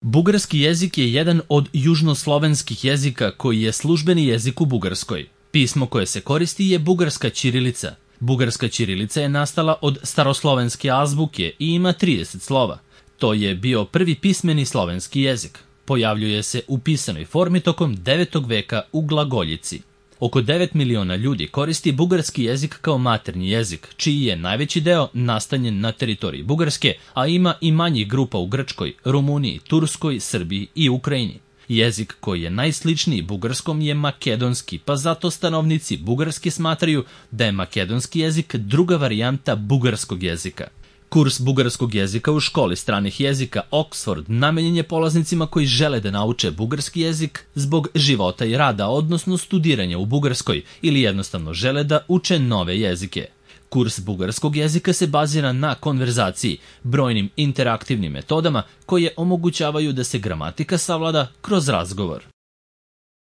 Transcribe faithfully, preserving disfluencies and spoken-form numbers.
Bugarski jezik je jedan od južnoslovenskih jezika koji je službeni jezik u Bugarskoj. Pismo koje se koristi je bugarska ćirilica. Bugarska ćirilica je nastala od staroslovenske azbuke i ima trideset slova. To je bio prvi pismeni slovenski jezik. Pojavljuje se u pisanoj formi tokom devetog veka u glagoljici. Oko devet miliona ljudi koristi bugarski jezik kao maternji jezik, čiji je najveći deo nastanjen na teritoriji Bugarske, a ima i manjih grupa u Grčkoj, Rumuniji, Turskoj, Srbiji i Ukrajini. Jezik koji je najsličniji bugarskom je makedonski, pa zato stanovnici Bugarske smatraju da je makedonski jezik druga varijanta bugarskog jezika. Kurs bugarskog jezika u školi stranih jezika Oxford namenjen je polaznicima koji žele da nauče bugarski jezik zbog života i rada, odnosno studiranja u Bugarskoj, ili jednostavno žele da uče nove jezike. Kurs bugarskog jezika se bazira na konverzaciji, brojnim interaktivnim metodama koje omogućavaju da se gramatika savlada kroz razgovor.